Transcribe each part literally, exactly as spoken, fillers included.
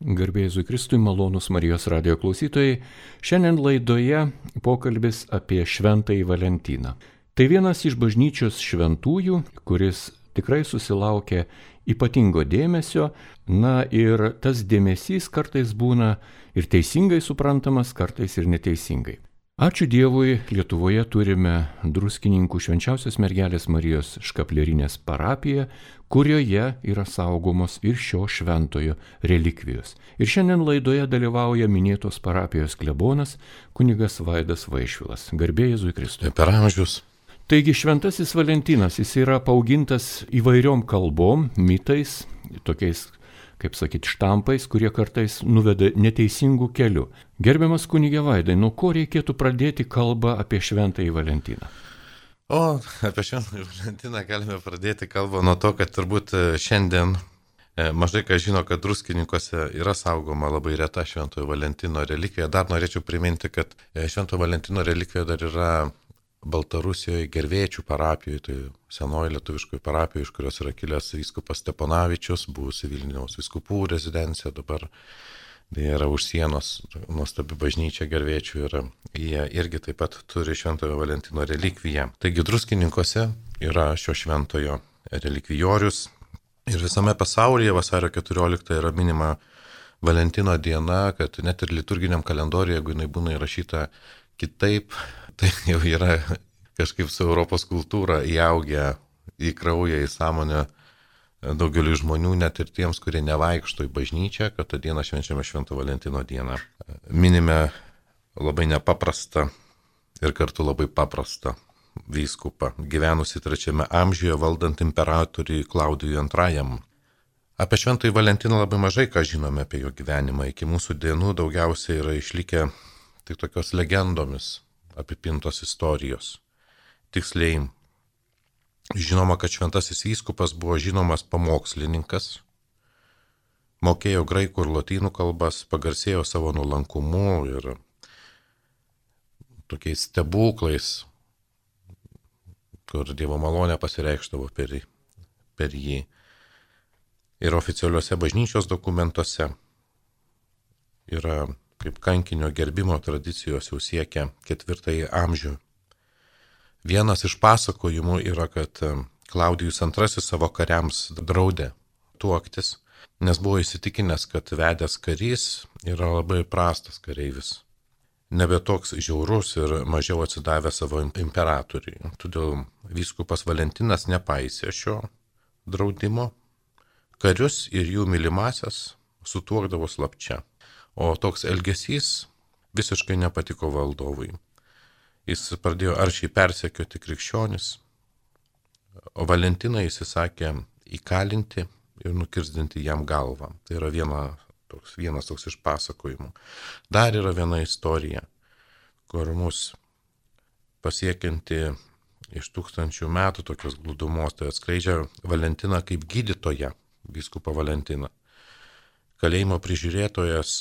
Garbė Jėzui Kristui, malonūs Marijos radijo klausytojai. Šiandien laidoje pokalbis apie Šventąjį Valentiną. Tai vienas iš bažnyčios šventųjų, kuris tikrai susilaukė ypatingo dėmesio. Na ir tas dėmesys kartais būna ir teisingai suprantamas, kartais ir neteisingai. Ačiū Dievui, Lietuvoje turime Druskininkų Švenčiausios Mergelės Marijos Škaplierinės parapiją, kurioje yra saugomos ir šio šventojo relikvijos. Ir šiandien laidoje dalyvauja minėtos parapijos klebonas kunigas Vaidas Vaišvilas. Garbė Jėzui Kristui. Per amžius. Taigi Šventasis Valentinas, jis yra paaugintas įvairiom kalbom, mitais, tokiais, kaip sakyti, štampais, kurie kartais nuveda neteisingų kelių. Gerbiamas kunige Vaidai, nuo ko reikėtų pradėti kalbą apie Šventąjį Valentiną? O, apie Šventąjį Valentiną galime pradėti kalbą nuo to, kad turbūt šiandien mažai kas žino, kad Druskininkuose yra saugoma labai reta Šventojo Valentino relikvija. Dar norėčiau priminti, kad Šventojo Valentino relikvija dar yra Baltarusijoje Gervėčių parapijoje, tai senoji lietuviškoji parapija, iš kurios yra kilęs vyskupas Steponavičius, buvusi Vilniaus vyskupų rezidencija, dabar tai yra už sienos nuostabi bažnyčia Gervėčių ir jie irgi taip pat turi Šventojo Valentino relikviją. Taigi Druskininkuose yra šio šventojo relikvijorius ir visame pasaulyje vasario keturioliktą yra minima Valentino diena, kad net ir liturginiam kalendoriuje, jeigu jinai būna įrašyta kitaip, tai jau yra kažkaip su Europos kultūra įaugę į kraują, į sąmonę daugeliu žmonių, net ir tiems, kurie nevaikšto į bažnyčią, kad tą dieną švenčiame Švento Valentino dieną. Minime labai nepaprastą ir kartu labai paprastą vyskupą, gyvenusi trečiame amžiuje valdant imperatoriui Klaudijui antrajam. Apie Šventąjį Valentiną labai mažai ką žinome apie jo gyvenimą. Iki mūsų dienų daugiausiai yra išlikę tik tokios legendomis apipintos istorijos. Tiksliai, žinoma, kad šventasis vyskupas buvo žinomas pamokslininkas, mokėjo graikų ir lotynų kalbas, pagarsėjo savo nuolankumu ir tokiais stebuklais, kur Dievo malonė pasireikšdavo per, per jį. Ir oficialiuose bažnyčios dokumentuose yra kaip kankinio gerbimo tradicijos jau siekia ketvirtąjį amžių. Vienas iš pasakojimų yra, kad Klaudijus antrasis savo kariams draudė tuoktis, nes buvo įsitikinęs, kad vedęs karys yra labai prastas kareivis, nebe toks žiaurus ir mažiau atsidavęs savo imperatoriui. Todėl vyskupas Valentinas nepaisė šio draudimo, karius ir jų mylimasias sutuokdavo slapčia. O toks elgesys visiškai nepatiko valdovui. Jis pradėjo aršiai persekioti krikščionis, o Valentiną įsisakė įkalinti ir nukirsdinti jam galvą. Tai yra viena, toks, vienas toks iš pasakojimų. Dar yra viena istorija, kur mus pasiekianti iš tūkstančių metų tokios glūdumos, tai atskleidžia Valentiną kaip gydytoją, vyskupą Valentiną. Kalėjimo prižiūrėtojas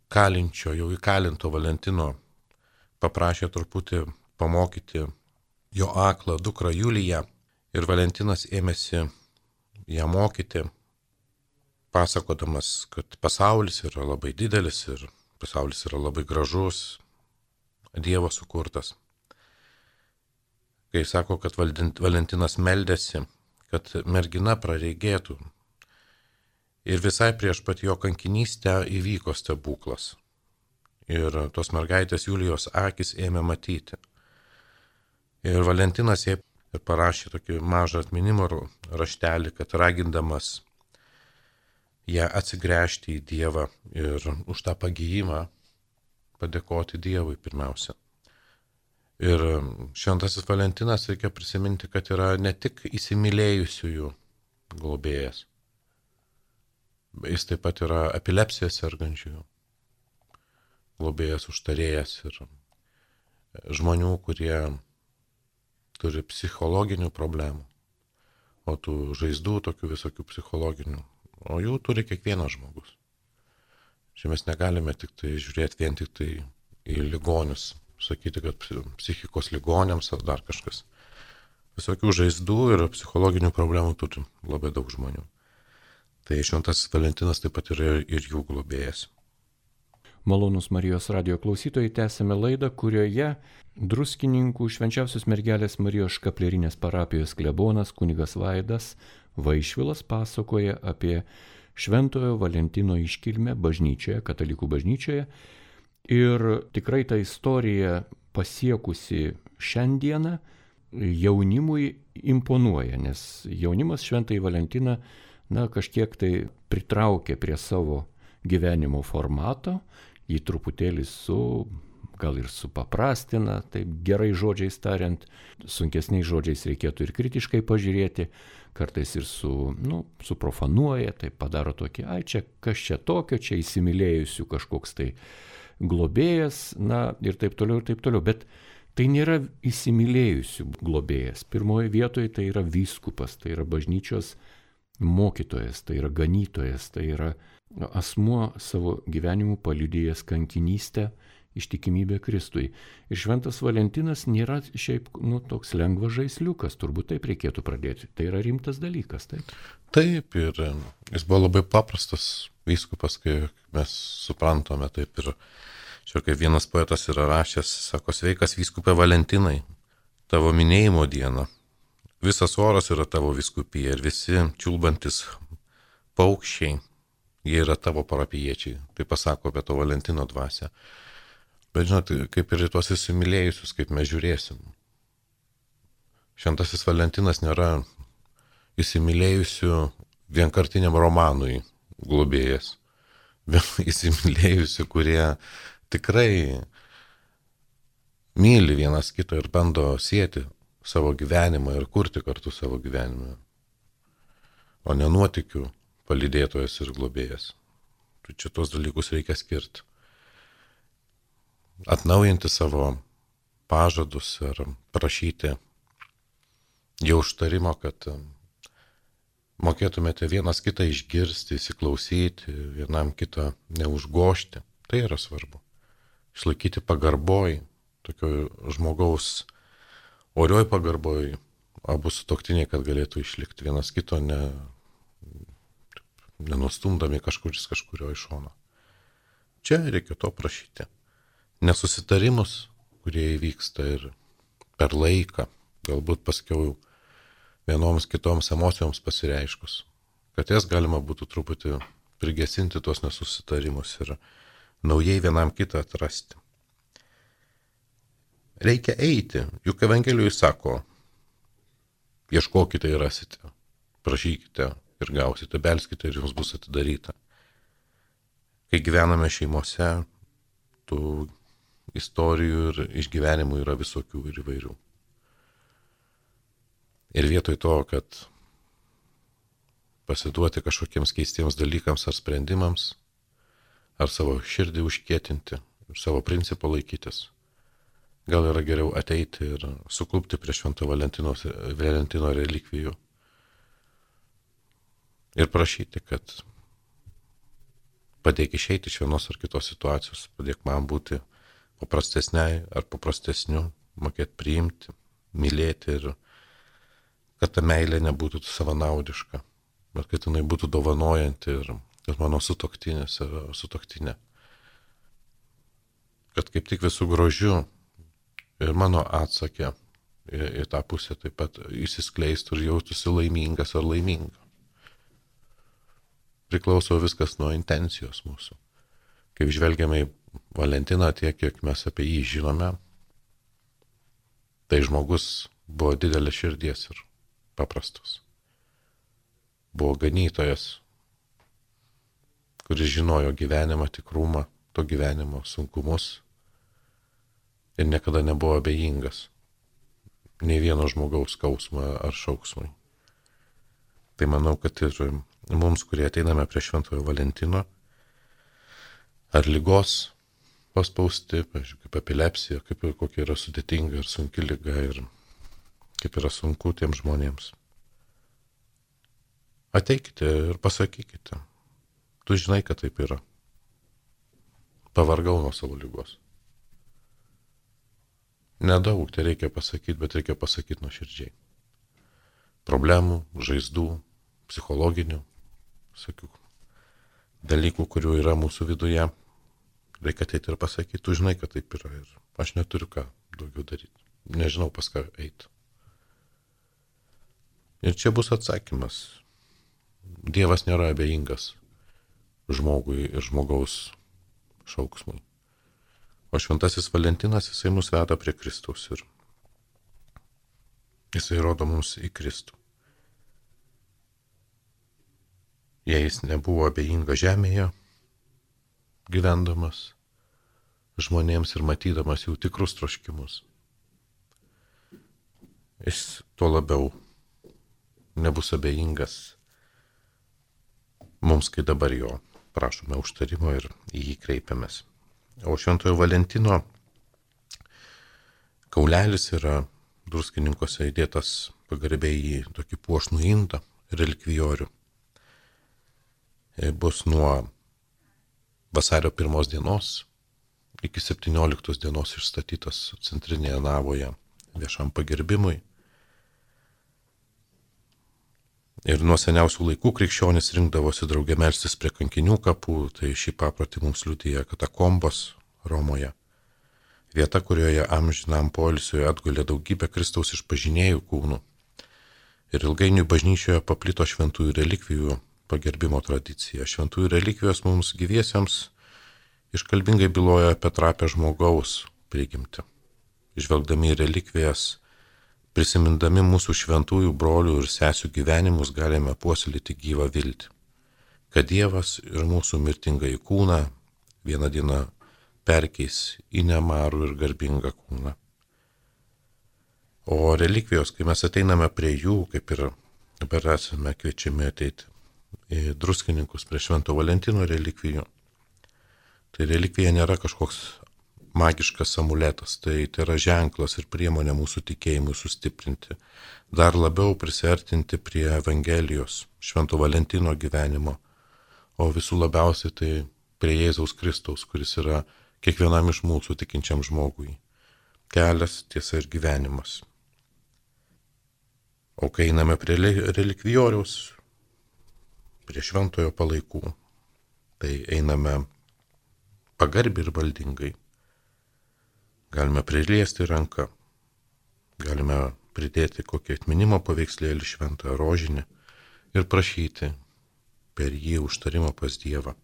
kalinčio, jau įkalinto Valentino paprašė truputį pamokyti jo aklą dukrą Juliją ir Valentinas ėmėsi ją mokyti, pasakodamas, kad pasaulis yra labai didelis ir pasaulis yra labai gražus, Dievo sukurtas. Kai sako, kad Valentinas meldėsi, kad mergina praregėtų, ir visai prieš pat jo kankinystę įvyko stebuklas. Ir tos mergaitės Julijos akis ėmė matyti. Ir Valentinas jai parašė tokį mažą atminimo raštelį, kad ragindamas ją atsigręžti į Dievą ir už tą pagijimą padėkoti Dievui pirmiausia. Ir šventasis Valentinas, reikia prisiminti, kad yra ne tik įsimylėjusiųjų globėjas, jis taip pat yra epilepsija sergančiųjų globėjas, užtarėjas ir žmonių, kurie turi psichologinių problemų, o tų žaizdų tokių visokių psichologinių, o jų turi kiekvienas žmogus. Čia mes negalime tik tai žiūrėti vien tik tai į ligonius, sakyti, kad psichikos ligoniams ar dar kažkas. Visokių žaizdų ir psichologinių problemų turi labai daug žmonių. Tai šventasis Valentinas taip pat yra ir jų globėjas. Malonūs Marijos radijo klausytojai, tęsime laidą, kurioje Druskininkų Švenčiausios mergelės Marijos Škaplierinės parapijos klebonas kunigas Vaidas Vaišvilas pasakoja apie Šventojo Valentino iškilmę bažnyčioje, katalikų bažnyčioje. Ir tikrai ta istorija pasiekusi šiandieną jaunimui imponuoja, nes jaunimas Šventąjį Valentiną na, kažkiek tai pritraukė prie savo gyvenimo formato, jį truputėlį su, gal ir supaprastina, taip gerai žodžiais tariant, sunkesniais žodžiais reikėtų ir kritiškai pažiūrėti, kartais ir su, nu, suprofanuoja, tai padaro tokį, ai čia kas čia tokio, čia įsimylėjusių kažkoks tai globėjas, na ir taip toliau, ir taip toliau, bet tai nėra įsimylėjusių globėjas. Pirmoje vietoje tai yra vyskupas, tai yra bažnyčios mokytojas, tai yra ganytojas, tai yra asmuo savo gyvenimu paliudėjęs kankinystę, ištikimybę Kristui. Ir Šventas Valentinas nėra šiaip nu, toks lengvas žaisliukas, turbūt taip reikėtų pradėti. Tai yra rimtas dalykas, taip? Taip, ir jis buvo labai paprastas vyskupas, kai mes suprantame, taip ir čia kaip vienas poetas yra rašęs, sako, sveikas vyskupe Valentinai, tavo minėjimo diena. Visas oras yra tavo vyskupija ir visi čiulbantis paukščiai, jie yra tavo parapijiečiai. Tai pasako apie to Valentino dvasią. Bet žinot, kaip ir į tuos įsimylėjusius, kaip mes žiūrėsim. Šventasis Valentinas nėra įsimylėjusių vienkartiniam romanui globėjas. Įsimylėjusių, kurie tikrai myli vienas kitą ir bando sieti savo gyvenimą ir kurti kartu savo gyvenimą. O ne nuotykių palydėtojas ir globėjas. Tai čia tos dalykus reikia skirti. Atnaujinti savo pažadus ir prašyti jau užtarimo, kad mokėtumėte vienas kitą išgirsti, įsiklausyti, vienam kitą neužgošti. Tai yra svarbu. Išlaikyti pagarboj, tokio žmogaus orioj pagarboj, abu sutuoktiniai, kad galėtų išlikti vienas kito ne nenustumdami kažkuris kažkurio iš šono. Čia reikia to prašyti. Nesusitarimus, kurie įvyksta ir per laiką, galbūt paskiau vienoms kitoms emocijoms pasireiškus, kad jas galima būtų truputį prigesinti tuos nesusitarimus ir naujai vienam kitą atrasti. Reikia eiti, juk Evangelijoje sako, ieškokite ir rasite, prašykite ir gausite, belskite ir jums bus atidaryta. Kai gyvename šeimose, tų istorijų ir išgyvenimų yra visokių ir įvairių. Ir vietoj to, kad pasiduoti kažkokiems keistiems dalykams ar sprendimams, ar savo širdį užkietinti, ir savo principą laikytis, gal yra geriau ateiti ir suklupti prie Švento Valentino, Valentino relikvijų ir prašyti, kad padėk išeiti iš vienos ar kitos situacijos, padėk man būti paprastesniai ar paprastesniu, mokėti priimti, mylėti ir kad ta meilė nebūtų savanaudiška, bet kad jinai būtų dovanojanti ir kad mano sutuoktinis ir sutuoktinė. Kad kaip tik visų grožių ir mano atsakė į, į tą pusę taip pat įsiskleistų ir jaustųsi laimingas ar laiminga. Priklauso viskas nuo intencijos mūsų. Kaip žvelgiame į Valentiną tiek, kiek mes apie jį žinome, tai žmogus buvo didelė širdies ir paprastas. Buvo ganytojas, kuris žinojo gyvenimą, tikrumą, to gyvenimo sunkumus ir niekada nebuvo abejingas nei vieno žmogaus skausmą ar šauksmui. Tai manau, kad ir mums, kurie ateiname prie Šventojo Valentino, ar ligos paspausti, pavyzdžiui, kaip epilepsija, kaip ir kokia yra sudėtinga ir sunki liga ir kaip yra sunku tiems žmonėms. Ateikite ir pasakykite, tu žinai, kad taip yra. Pavargau nuo savo ligos. Nedaug tai reikia pasakyti, bet reikia pasakyti nuoširdžiai. Problemų, žaizdų, psichologinių, visokių dalykų, kurių yra mūsų viduje, reikia ateiti ir pasakyti, tu žinai, kad taip yra ir aš neturiu ką daugiau daryti, nežinau pas ką eiti. Ir čia bus atsakymas. Dievas nėra abejingas žmogui ir žmogaus šauksmui. O šventasis Valentinas, jisai mus veda prie Kristaus ir jisai rodo mums į Kristų. Jei jis nebuvo abejinga žemėje, gyvendamas žmonėms ir matydamas jų tikrus troškimus, jis tuo labiau nebus abejingas mums, kai dabar jo prašome užtarimo ir į jį kreipiamės. O Šventojo Valentino kaulelis yra Druskininkuose įdėtas pagarbiai į tokį puošnų indą, relikvijorių. Bus nuo vasario pirmos dienos iki septynioliktos dienos išstatytas centrinėje navoje viešam pagerbimui. Ir nuo seniausių laikų krikščionys rinkdavosi draugė melstis prie kankinių kapų, tai šį paprotį mums liudija katakombos Romoje. Vieta, kurioje amžinam poilsiui atgulė daugybė Kristaus išpažinėjų kūnų. Ir ilgainiui bažnyčioje paplito šventųjų relikvijų pagerbimo tradicija. Šventųjų relikvijos mums gyviesiems iškalbingai byloja apie trapę žmogaus prigimtį. Žvelgdami į relikvijas, prisimindami mūsų šventųjų brolių ir sesių gyvenimus, galime puoselėti gyvą viltį, kad Dievas ir mūsų mirtingąjį kūną vieną dieną perkeis į nemarų ir garbingą kūną. O relikvijos, kai mes ateiname prie jų, kaip ir dabar esame kviečiami ateiti į Druskininkus prie Švento Valentino relikvijų, tai relikvija nėra kažkoks magiškas amuletas, tai tai yra ženklas ir priemonė mūsų tikėjimui sustiprinti, dar labiau prisiartinti prie Evangelijos, Švento Valentino gyvenimo, o visų labiausiai tai prie Jėzaus Kristaus, kuris yra kiekvienam iš mūsų tikinčiam žmogui kelias, tiesa ir gyvenimas. O kai einame prie relikvijoriaus, prie šventojo palaikų, tai einame pagarbiai ir valdingai. Galime priliesti ranką, galime pridėti kokį atminimo paveikslėlį šventą rožinį ir prašyti per jį užtarimo pas Dievą.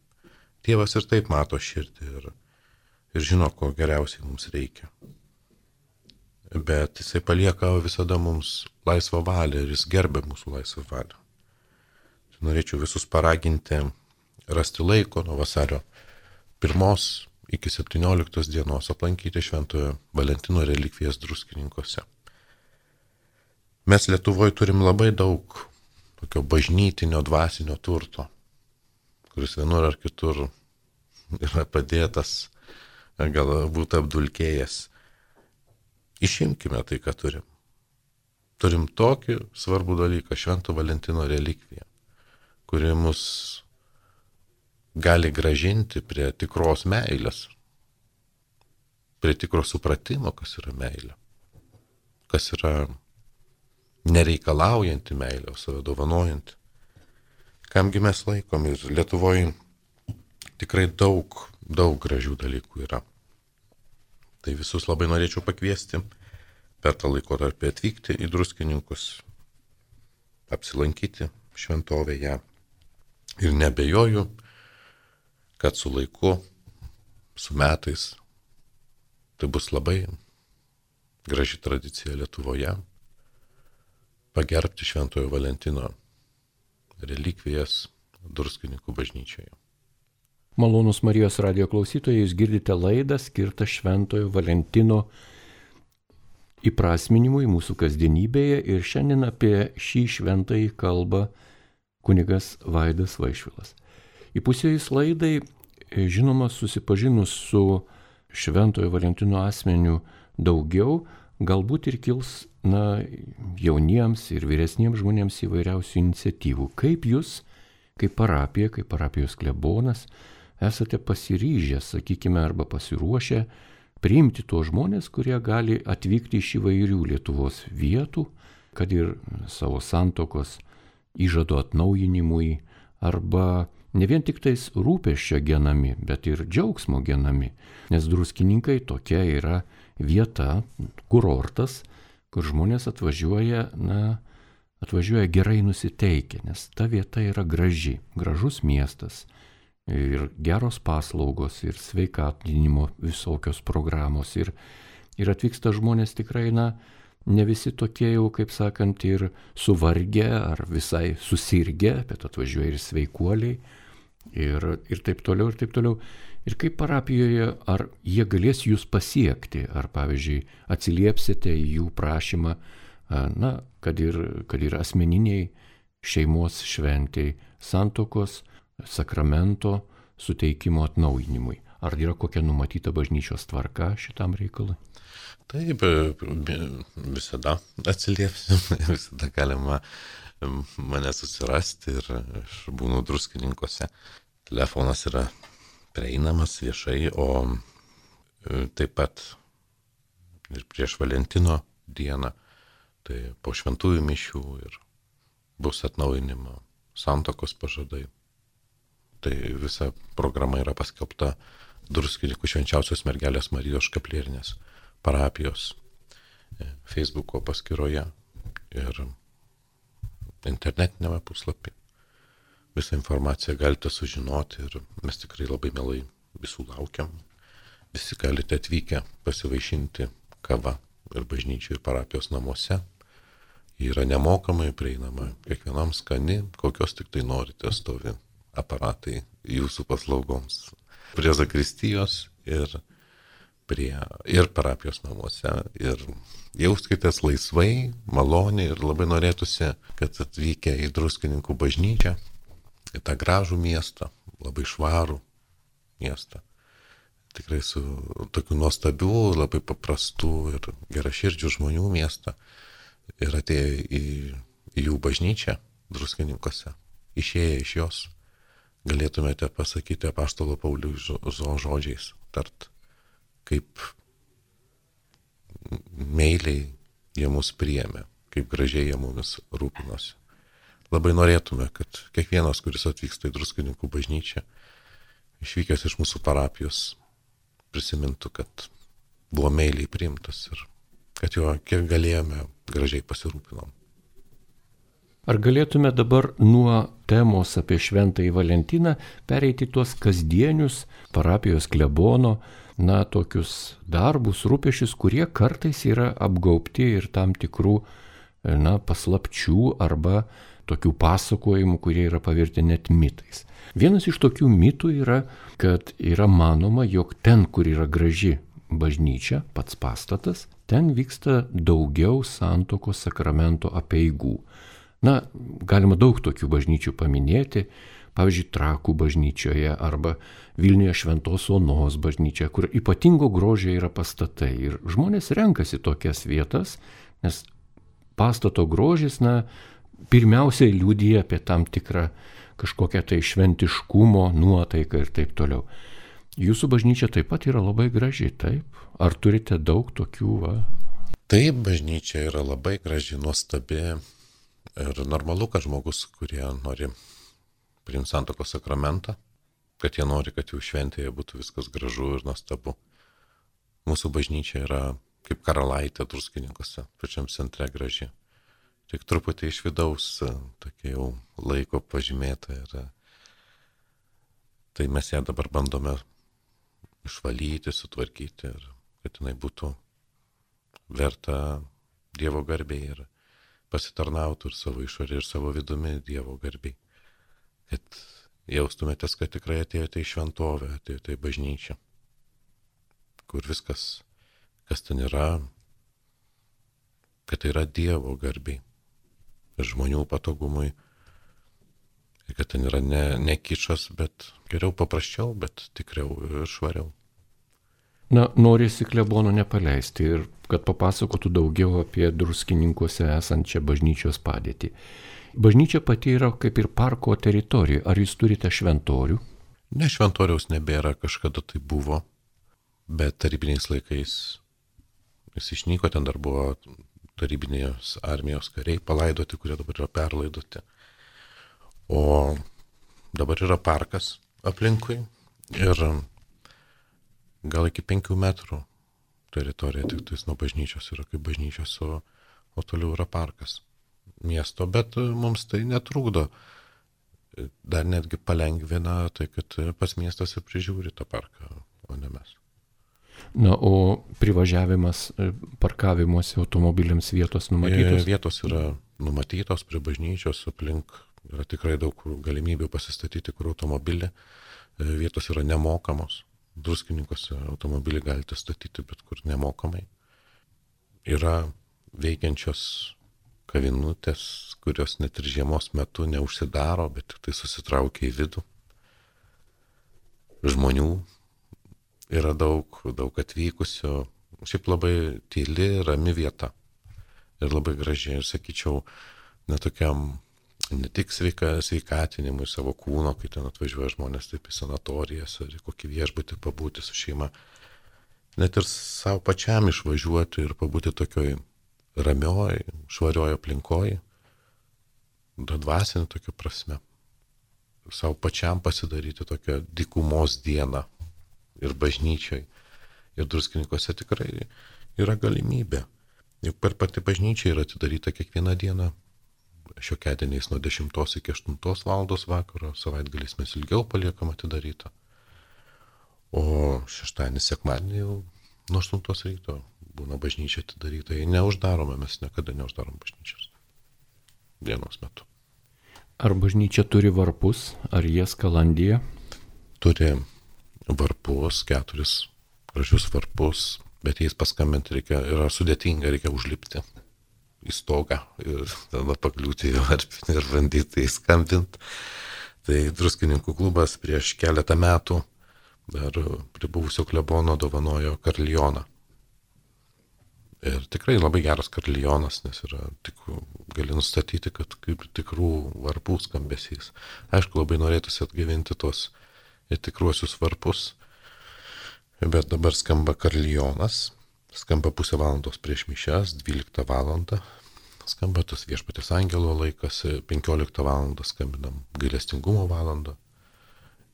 Dievas ir taip mato širdį ir, ir žino, ko geriausiai mums reikia. Bet jisai palieka visada mums laisvą valią ir jis gerbia mūsų laisvą valią. Norėčiau visus paraginti rasti laiko nuo vasario pirmos iki septynioliktos dienos aplankyti Šventojo Valentino relikvijas Druskininkuose. Mes Lietuvoje turim labai daug tokio bažnytinio dvasinio turto, kuris vienur ar kitur yra padėtas, galbūt apdulkėjęs. Išimkime tai, ką turim. Turim tokį svarbų dalyką, Švento Valentino relikviją, kuri mus gali gražinti prie tikros meilės, prie tikro supratimo, kas yra meilė, kas yra nereikalaujanti meilė, o save dovanojanti. Kamgi mes laikom ir Lietuvoje tikrai daug, daug gražių dalykų yra. Tai visus labai norėčiau pakviesti per tą laikotarpį atvykti į Druskininkus, apsilankyti šventovėje ir nebejoju, kad su laiku, su metais, tai bus labai graži tradicija Lietuvoje pagerbti Šventojo Valentino relikvijas Druskininkų bažnyčioje. Malonūs Marijos radijo klausytojai, jūs girdite laidą skirtą Šventojo Valentino įprasminimui mūsų kasdienybėje ir šiandien apie šį šventąjį kalba kunigas Vaidas Vaišvilas. Įpusėjus laidai, žinoma, susipažinus su Šventojo Valentino asmeniu daugiau, galbūt ir kils na, jauniems ir vyresniems žmonėms įvairiausių iniciatyvų. Kaip jūs, kaip parapija, kaip parapijos klebonas, esate pasiryžę, sakykime, arba pasiruošę priimti tuos žmonės, kurie gali atvykti iš įvairių Lietuvos vietų, kad ir savo santokos įžado atnaujinimui arba ne vien tik tais rūpesčio genami, bet ir džiaugsmo genami, nes druskininkai tokia yra vieta, kurortas, kur žmonės atvažiuoja, na, atvažiuoja gerai nusiteikę, nes ta vieta yra graži, gražus miestas ir geros paslaugos ir sveikatinimo visokios programos ir, ir atvyksta žmonės tikrai, na, ne visi tokie jau, kaip sakant, ir suvargę ar visai susirgę, bet atvažiuoja ir sveikuoliai ir, ir taip toliau, ir taip toliau. Ir kaip parapijoje, ar jie galės jūs pasiekti, ar pavyzdžiui atsiliepsite į jų prašymą, na, kad ir, kad ir asmeniniai šeimos šventei, santuokos, sakramento suteikimo atnaujinimui. Ar yra kokia numatyta bažnyčios tvarka šitam reikalui? Taip, visada atsiliepsim, visada galima mane susirasti ir aš būnu Druskininkuose. Telefonas yra prieinamas viešai, o taip pat ir prieš Valentino dieną, tai po šventųjų mišių ir bus atnaujinimo santuokos pažadai. Tai visa programa yra paskelbta Druskininkų Švenčiausios Mergelės Marijos Škaplierinės parapijos Facebooko paskyroje ir internetinėme puslapyje. Visą informaciją galite sužinoti ir mes tikrai labai mielai visų laukiam. Visi galite atvykę pasivaišinti kava ir bažnyčių ir parapijos namuose. Ji yra nemokamai prieinama, kiekvienam skani, kokios tik tai norite, stovi aparatai jūsų paslaugoms. Prie zakristijos ir prie ir parapijos namuose ir jauskitės laisvai, maloniai ir labai norėtųsi, kad atvykę į Druskininkų bažnyčią, į tą gražų miestą, labai švarų miestą, tikrai su tokiu nuostabiu, labai paprastu ir geraširdžių žmonių miestą ir atėję į, į jų bažnyčią Druskininkuose, išėję iš jos, galėtumėte pasakyti apaštalo Pauliaus žodžiais, tart, kaip meiliai jie mus priėmė, kaip gražiai jie mumis rūpinosi. Labai norėtume, kad kiekvienas, kuris atvyksta į Druskininkų bažnyčią, išvykęs iš mūsų parapijos, prisimintų, kad buvo meiliai priimtas ir kad jo kiek galėjome gražiai pasirūpinom. Ar galėtume dabar nuo temos apie Šventąjį Valentiną pereiti tuos kasdienius parapijos klebono, na, tokius darbus, rūpesčius, kurie kartais yra apgaubti ir tam tikrų, na, paslapčių arba tokių pasakojimų, kurie yra pavirti net mitais. Vienas iš tokių mitų yra, kad yra manoma, jog ten, kur yra graži bažnyčia, pats pastatas, ten vyksta daugiau santuokos sakramento apeigų. Na, galima daug tokių bažnyčių paminėti, pavyzdžiui, Trakų bažnyčioje arba Vilniuje Šventos Onos bažnyčioje, kur ypatingo grožio yra pastatai. Ir žmonės renkasi tokias vietas, nes pastato grožis, na, pirmiausiai liudija apie tam tikrą kažkokią tai šventiškumo nuotaiką ir taip toliau. Jūsų bažnyčia taip pat yra labai graži, taip? Ar turite daug tokių, va? Taip, bažnyčia yra labai graži, nuostabi. Ir normalu, kad žmogus, kurie nori priimti santuokos sakramentą, kad jie nori, kad jų šventėje būtų viskas gražu ir nuostabu. Mūsų bažnyčia yra kaip karalaitė Druskininkuose, pačiam centre graži. Tik truputį iš vidaus tokia jau laiko pažymėta. Ir tai mes ją dabar bandome išvalyti, sutvarkyti ir kad jinai būtų verta Dievo garbei ir pasitarnautų ir savo išorė, ir savo vidumi Dievo garbiai. Kad jaustumėtės, kad tikrai atėjote į šventovę, atėjote į bažnyčią, kur viskas, kas ten yra, kad tai yra Dievo garbiai ir žmonių patogumui. Ir kad ten yra ne, ne kičas, bet geriau paprasčiau, bet tikriau ir švariau. Na, norisi klebono nepaleisti ir kad papasakotų daugiau apie Druskininkuose esančią bažnyčios padėtį. Bažnyčia pati yra kaip ir parko teritorija. Ar jūs turite šventorių? Ne, šventoriaus nebėra, kažkada tai buvo, bet tarybiniais laikais jis išnyko, ten dar buvo tarybinės armijos kariai palaidoti, kurie dabar yra perlaidoti. O dabar yra parkas aplinkui ir gal iki penkių metrų teritorija tik tais nuo bažnyčios yra kaip bažnyčios, o, o toliau yra parkas miesto, bet mums tai netrukdo. Dar netgi palengvina tai, kad pats miestas ir prižiūri tą parką, o ne mes. Na, o privažiavimas parkavimuose automobiliams vietos numatytos? Vietos yra numatytos prie bažnyčios, aplink yra tikrai daug galimybių pasistatyti kur automobilį. Vietos yra nemokamos. Druskininkuose automobilį galite statyti bet kur nemokamai. Yra veikiančios kavinutės, kurios net ir žiemos metu neužsidaro, bet tik tai susitraukia į vidų. Žmonių yra daug, daug atvykusių. Šiaip labai tyli, rami vieta. Ir labai gražiai, ir sakyčiau, netokiam, ne tik sveika, sveikatinimui savo kūno, kai ten atvažiuoja žmonės taip į sanatorijas ar į kokį viešbutį pabūti su šeima. Net ir savo pačiam išvažiuoti ir pabūti tokioj ramioj, švarioj aplinkoj, dvasinė tokia prasme. Savo pačiam pasidaryti tokią dykumos dieną ir bažnyčioj. Ir Druskininkuose tikrai yra galimybė. Juk per pati bažnyčia yra atidaryta kiekvieną dieną. Šiokiadieniais nuo dešimtos iki aštuntos valandos vakaro, savaitgaliais mes ilgiau paliekam atidarytą. O šeštadienį, sekmadienį jau nuo aštuntos ryto būna bažnyčia atidaryta. Jei neuždarome, mes niekada neuždarom bažnyčios dienos metu. Ar bažnyčia turi varpus, ar jie skalandija? Turi varpus, keturis gražius varpus, bet jais paskambinti reikia, yra sudėtinga, reikia užlipti į stogą ir tada pakliūti į varpinį ir bandyti įskambinti. Tai Druskininkų klubas prieš keletą metų dar prie buvusio klebono dovanojo karlioną. Ir tikrai labai geras karlionas, nes yra tik, gali nustatyti, kad kaip tikrų varpų skambesys. Aišku, labai norėtųsi atgyvinti tos tikruosius varpus, bet dabar skamba karlionas, skamba pusę valandos prieš mišias, dvyliktą valandą, skamba tas Viešpaties angelo laikas, penkioliktą valandą skambinam gailestingumo valandą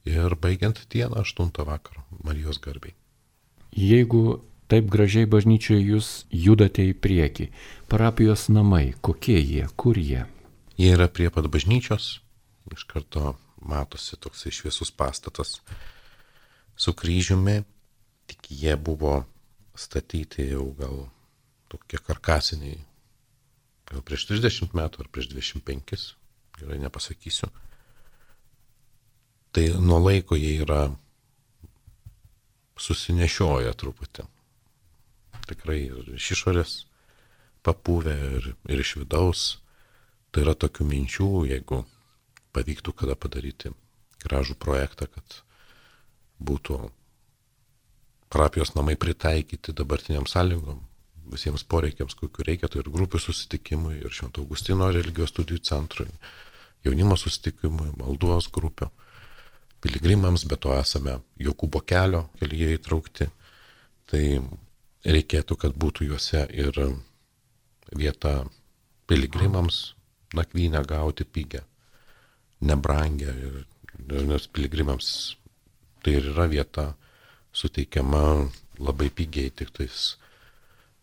ir baigiant dieną aštuntą vakaro Marijos garbei. Jeigu taip gražiai bažnyčioje jūs judate į priekį, parapijos namai, kokie jie, kur jie? Jie yra prie pat bažnyčios, iš karto matosi toksai šviesus pastatas su kryžiumi, tik jie buvo statyti jau gal tokie karkasiniai, gal prieš trisdešimt metų ar prieš dvidešimt penkis, gerai nepasakysiu. Tai nuo laiko jie yra susinešioję truputį. Tikrai ir iš išorės papūvę ir, ir iš vidaus. Tai yra tokių minčių, jeigu pavyktų kada padaryti gražų projektą, kad būtų parapijos namai pritaikyti dabartiniam sąlygom, visiems poreikiams, kokiu reikia, tai ir grupių susitikimui, ir Švento Augustino religijos studijų centrui, jaunimo susitikimui, maldos grupio, piligrimams, bet to esame Jokūbo kelio kelyje įtraukti, tai reikėtų, kad būtų juose ir vieta piligrimams nakvynę gauti pigę, nebrangę, ir, nes piligrimams tai ir yra vieta suteikiama labai pigiai, tik tais,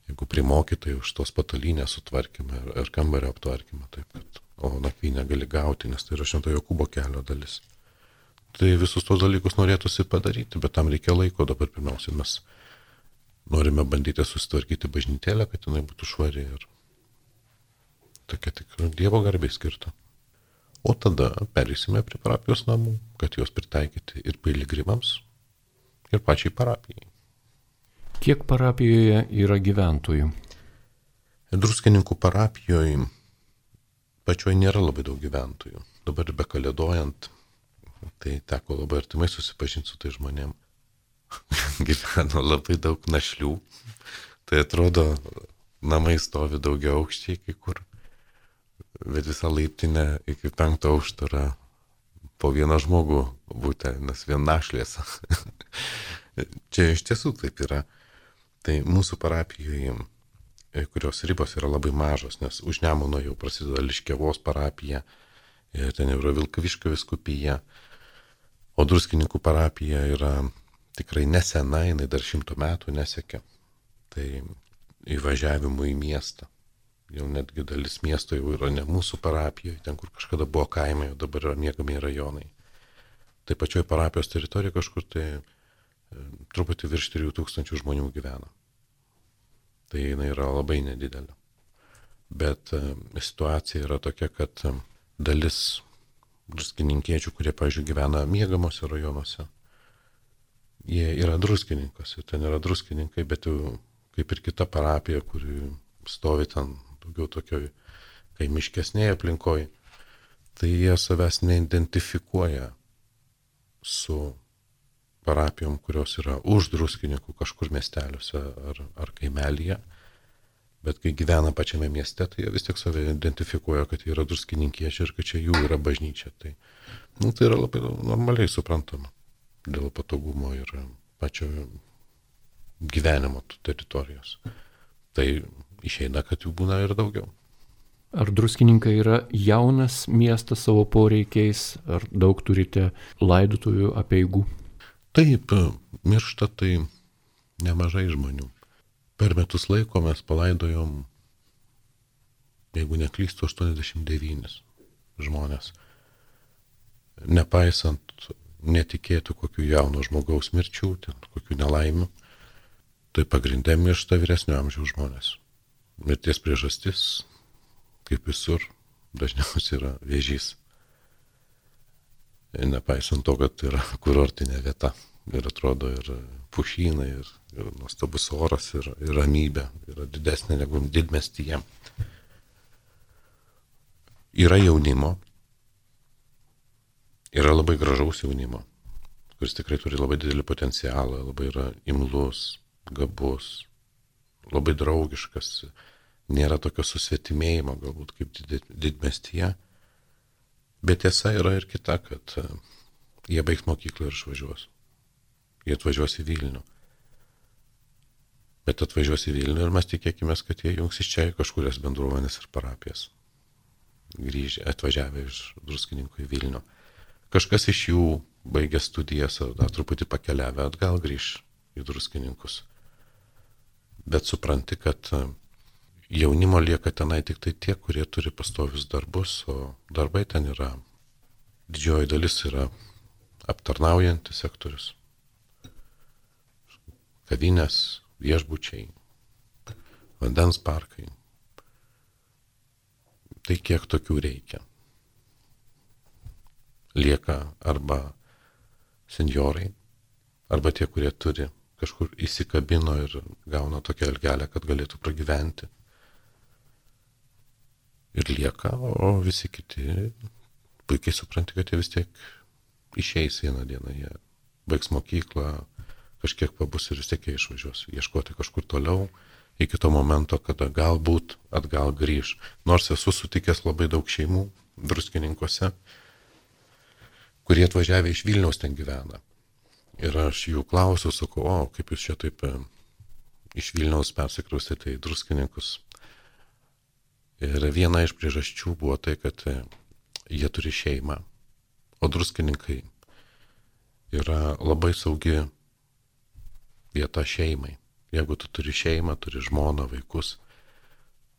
jeigu primokytai už tos patalynės sutvarkymą ir, ir kambario aptvarkymą, taip kad, o nakvynę gali gauti, nes tai yra Švento Jokūbo kelio dalis. Tai visus tos dalykus norėtųsi padaryti, bet tam reikia laiko. Dabar pirmiausia mes norime bandyti susitvarkyti bažnytėlę, kad jinai būtų švari ir tokia tik Dievo garbei skirta. O tada perėsime prie parapijos namų, kad juos pritaikyti ir piligrimams, ir pačiai parapijai. Kiek parapijoje yra gyventojų? Druskininkų parapijoje pačioj nėra labai daug gyventojų. Dabar bekalėdojant, tai teko labai artimai susipažinti su tai žmonėm. Gyveno labai daug našlių. Tai atrodo, namai stovi daugia aukščiai kai kur, bet visą laiptinę iki penkto aukšto yra po vieną žmogų būti, nes vien našlės. Čia iš tiesų taip yra. Tai mūsų parapijoje, kurios ribos yra labai mažos, nes už Nemuno jau prasideda Liškiavos parapija, ir ten yra Vilkaviškio vyskupija, O Druskininkų parapija yra tikrai nesena, jinai dar šimto metų nesiekia. Tai įvažiavimų į miestą. Jau netgi dalis miesto jau yra ne mūsų parapijoje, ten kur kažkada buvo kaimai, o dabar yra miegamieji rajonai. Tai pačioj parapijos teritorijoje kažkur tai e, truputį virš trijų tūkstančių žmonių gyvena. Tai jinai yra labai nedidelė. Bet e, situacija yra tokia, kad e, dalis druskininkiečių, kurie, pavyzdžiui, gyvena miegamose rajonuose, jie yra druskininkose, ten yra druskininkai, bet jau kaip ir kita parapija, kuri stovi ten daugiau tokioj kaimiškesnėje aplinkoje, tai jie savęs neidentifikuoja su parapijom, kurios yra už druskininkų kažkur miesteliuose ar, ar kaimelyje, bet kai gyvena pačiame mieste, tai jie vis tiek save identifikuoja, kad jie yra druskininkiečiai ir kad čia jų yra bažnyčia. Tai, nu, tai yra labai normaliai suprantama dėl patogumo ir pačio gyvenimo teritorijos. Tai išeina, kad jų būna ir daugiau. Ar Druskininkai yra jaunas miestas savo poreikiais, ar daug turite laidotuvių apeigų? Taip, miršta tai nemažai žmonių. Per metus laiko mes palaidojom, jeigu neklystu, aštuoniasdešimt devynis žmonės. Nepaisant netikėtų kokių jauno žmogaus mirčių, ten, kokių nelaimių, tai pagrindė miršta vyresnio amžiaus žmonės. Mirties priežastis, kaip visur, dažniausiai yra vėžys. Nepaisant to, kad yra kurortinė vieta. Ir atrodo ir pušynai, ir, ir nuostabus oras, ir, ir ramybė. Yra didesnė negu didmiestyje. Yra jaunimo. Yra labai gražaus jaunimo, kuris tikrai turi labai didelį potencialą, labai yra imlus, gabus, labai draugiškas. Nėra tokio susvetimėjimo galbūt kaip did, didmiestyje. Bet tiesa yra ir kita, kad jie baigs mokyklą ir išvažiuos. Jie atvažiuos į Vilnių. Bet atvažiuos į Vilnių ir mes tikėkime, kad jie jungs iš čia kažkurias bendruomenės ir parapijas. Grįžę, atvažiavę iš Druskininkų į Vilnių. Kažkas iš jų baigė studijas ar dar truputį pakeliavę atgal grįž į Druskininkus. Bet supranti, kad jaunimo lieka tenai tik tai tie, kurie turi pastovius darbus, o darbai ten yra. Didžioji dalis yra aptarnaujantis sektorius. Kavinės, viešbučiai, vandens parkai. Tai kiek tokių reikia. Lieka arba senjorai, arba tie, kurie turi kažkur įsikabino ir gauna tokią algelę, kad galėtų pragyventi. Ir lieka, o visi kiti puikiai supranti, kad jie vis tiek išeis vieną dieną. Jie baigs mokyklą, kažkiek pabus ir vis tiek jie išvažiuos. Ieškoti kažkur toliau, iki to momento, kada galbūt atgal grįž. Nors esu sutikęs labai daug šeimų Druskininkuose, kurie atvažiavę iš Vilniaus ten gyvena. Ir aš jų klausiu, sakau, o kaip jūs čia taip iš Vilniaus persikraustėte į Druskininkus. Ir viena iš priežasčių buvo tai, kad jie turi šeimą, o Druskininkai yra labai saugi vieta šeimai. Jeigu tu turi šeimą, turi žmoną, vaikus,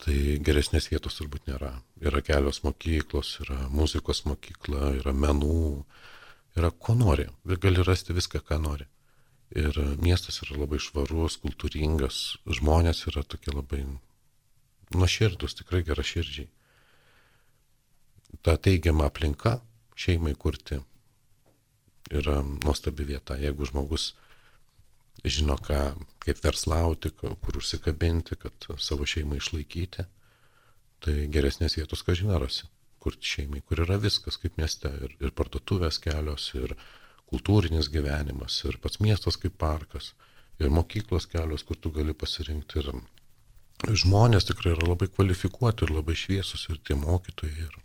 tai geresnės vietos turbūt nėra. Yra kelios mokyklos, yra muzikos mokykla, yra menų, yra ko nori. Gali rasti viską, ką nori. Ir miestas yra labai švarus, kultūringas, žmonės yra tokie labai nuoširdus, tikrai geraširdžiai. Ta teigiama aplinka šeimai kurti yra nuostabi vieta. Jeigu žmogus žino, ką, kaip verslauti, kur užsikabinti, kad savo šeimą išlaikyti, tai geresnės vietos, ką žinosi, kur šeimai, kur yra viskas kaip mieste, ir, ir parduotuvės kelios, ir kultūrinis gyvenimas, ir pats miestas kaip parkas, ir mokyklos kelios, kur tu gali pasirinkti. Ir žmonės tikrai yra labai kvalifikuoti ir labai šviesus, ir tie mokytojai, ir,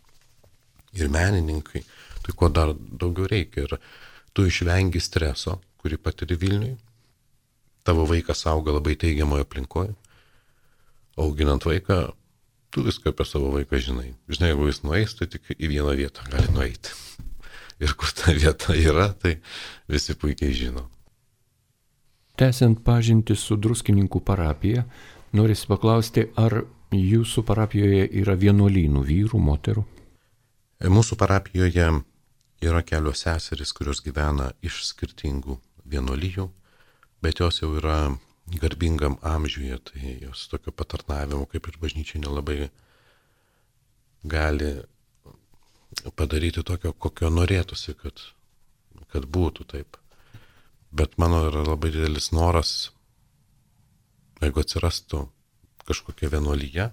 ir menininkai. Tai ko dar daugiau reikia. Ir tu išvengi streso, kurį patiri Vilniui. Tavo vaikas auga labai teigiamoje aplinkoje. Auginant vaiką, tu viską apie savo vaiką žinai. Žinai, jeigu jis nueis, tai tik į vieną vietą gali nueiti. ir kur ta vieta yra, tai visi puikiai žino. Tęsiant pažintį su Druskininkų parapija, norisi paklausti, ar jūsų parapijoje yra vienuolynų vyrų, moterų? Mūsų parapijoje yra kelios seserys, kurios gyvena iš skirtingų vienuolijų, bet jos jau yra garbingam amžiuje, tai jos tokio patarnavimo kaip ir bažnyčiai nelabai gali padaryti tokio, kokio norėtųsi, kad, kad būtų taip. Bet mano yra labai didelis noras, jeigu atsirastų kažkokia vienuolyje,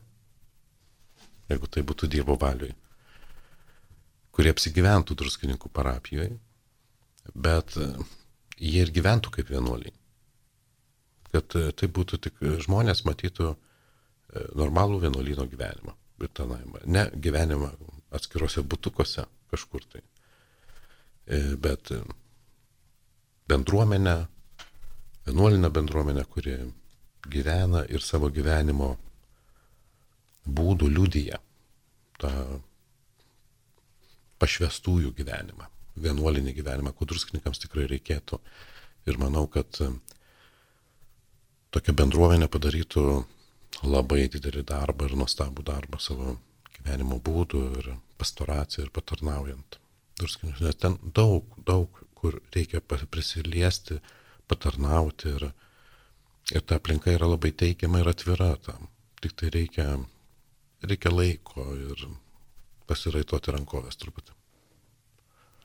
jeigu tai būtų Dievo valioj, kurie apsigyventų Druskininkų parapijoje, bet jie ir gyventų kaip vienuoliai. Kad tai būtų tik žmonės matytų normalų vienuolyno gyvenimą, ne gyvenimą atskiruose butukose kažkur tai, bet bendruomenę, vienuolinę bendruomenę, kuri gyvena ir savo gyvenimo būdų liudija tą pašvestųjų gyvenimą, vienuolinį gyvenimą, ko druskininkams tikrai reikėtų. Ir manau, kad tokia bendruomenė padarytų labai didelį darbą ir nuostabų darbą savo gyvenimo būdų ir pastoraciją ir patarnaujant druskininkams. Nes ten daug, daug, kur reikia prisiliesti, patarnauti ir, ir ta aplinka yra labai teigiama ir atvira tam. Tik tai reikia, reikia laiko ir pasiraitoti rankovės truputį.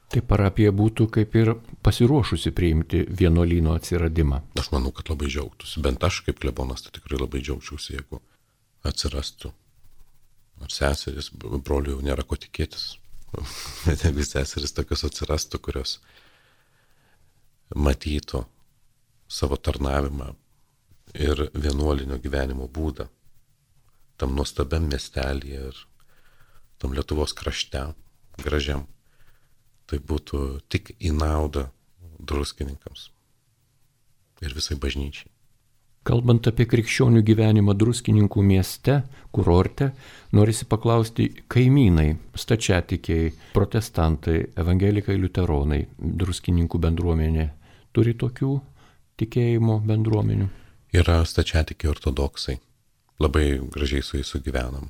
Tai parapija būtų kaip ir pasiruošusi priimti vienuolyno atsiradimą. Aš manau, kad labai džiaugtųsi. Bent aš kaip klebonas tai tikrai labai džiaugčiausi, jeigu atsirastų. Ar seseris, brolių jau nėra ko tikėtis. Bet jeigu seseris tokios atsirastų, kurios matytų savo tarnavimą ir vienuolinio gyvenimo būdą tam nuostabiam miestelyje ir tam Lietuvos krašte gražiam, tai būtų tik į naudą druskininkams ir visai bažnyčiai. Kalbant apie krikščionių gyvenimą Druskininkų mieste, kurorte, norisi paklausti kaimynai, stačiatikiai, protestantai, evangelikai, liuteronai, Druskininkų bendruomenė turi tokių tikėjimo bendruomenių? Yra stačiatikiai ortodoksai. Labai gražiai su jais sugyvenam.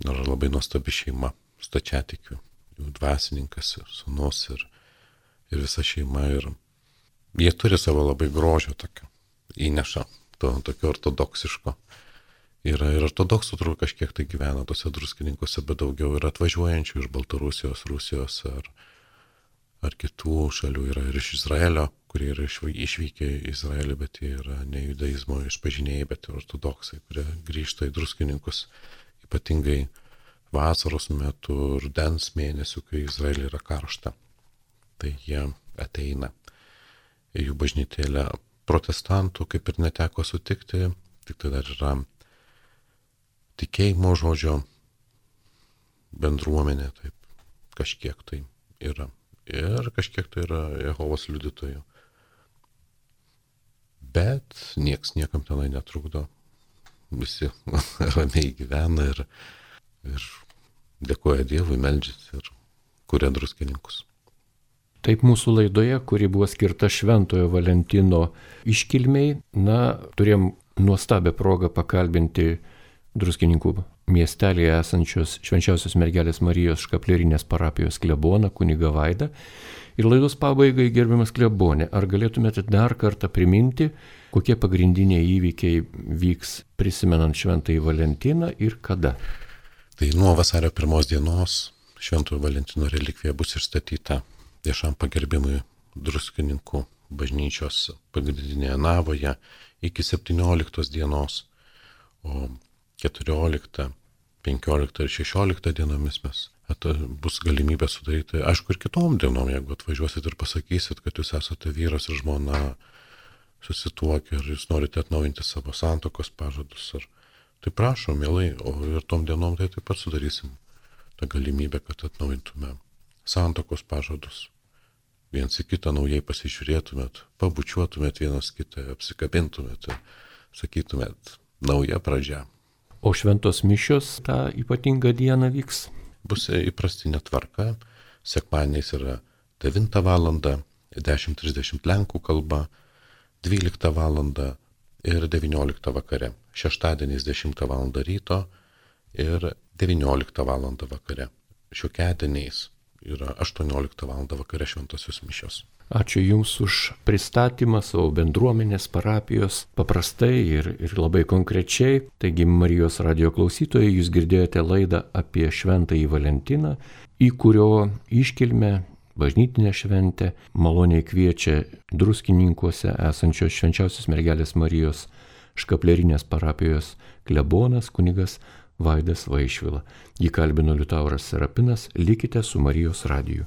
Yra labai nuostabi šeima stačiatikių. Jų dvasininkas ir sūnus ir, ir visa šeima. Ir jie turi savo labai grožio tokio įneša. To tokio ortodoksiško. Yra ir ortodoksų turbūt kažkiek tai gyvena tose druskininkuose, bet daugiau yra atvažiuojančių iš Baltarusijos, Rusijos ar, ar kitų šalių. Yra ir iš Izraelio, kurie yra išvykę į Izraelį, bet jie yra ne judaizmo išpažinėjai, bet ortodoksai, kurie grįžta į druskininkus, ypatingai vasaros metu, rudens mėnesių, kai Izraelį yra karšta. Tai jie ateina į jų bažnytėlę. Protestantų kaip ir neteko sutikti, tik tai dar yra tikėjimo žodžio bendruomenė, taip, kažkiek tai yra. Ir kažkiek tai yra Jehovos liudytojų. Bet nieks niekam tenai netrukdo. Visi ramiai gyvena ir, ir dėkoja Dievui, meldžiasi ir kuria druskininkus. Taip mūsų laidoje, kuri buvo skirta Šventojo Valentino iškilmei, na, turėjom nuostabią progą pakalbinti Druskininkų miestelėje esančios Švenčiausios mergelės Marijos Škaplierinės parapijos kleboną kunigą Vaidą. Ir laidos pabaigai, gerbiamas klebonė, ar galėtumėte dar kartą priminti, kokie pagrindiniai įvykiai vyks prisimenant Šventąjį Valentiną ir kada? Tai nuo vasario pirmos dienos Šventojo Valentino relikvija bus išstatyta viešam pagerbimui Druskininkų bažnyčios pagrindinėje navoje iki septynioliktos dienos, o keturioliktą, penkioliktą ir šešioliktą dienomis mes bus galimybė sudaryti, aišku, ir kitom dienom, jeigu atvažiuosit ir pasakysit, kad jūs esate vyras ir žmona susituokę ir jūs norite atnaujinti savo santuokos pažadus, ar tai prašom, mielai, o ir tom dienom tai taip pat sudarysim tą galimybę, kad atnaujintume santuokos pažadus. Viens į kitą naujai pasižiūrėtumėt, pabučiuotumėt vienas kitą, apsikabintumėt ir sakytumėt nauja pradžia. O šventos mišios tą ypatingą dieną vyks? Bus įprastinė tvarka, sekmadieniais yra devintą valandą, dešimt trisdešimt lenkų kalba, dvyliktą valandą ir devynioliktą vakare. Šeštadieniais dešimtą valandą ryto ir devynioliktą valandą vakare. Šiokiadieniais yra aštuonioliktą valandą vakare šventosios mišios. Ačiū Jums už pristatymą savo bendruomenės, parapijos, paprastai ir, ir labai konkrečiai. Taigi, Marijos radijo klausytojai, Jūs girdėjote laidą apie Šventąjį Valentiną, į kurio iškilmę, bažnytinę šventę, maloniai kviečia Druskininkuose esančios Švenčiausios Mergelės Marijos Škaplierinės parapijos klebonas kunigas Vaidas Vaišvila. Jį kalbino Liutauras Serapinas. Likite su Marijos radiju.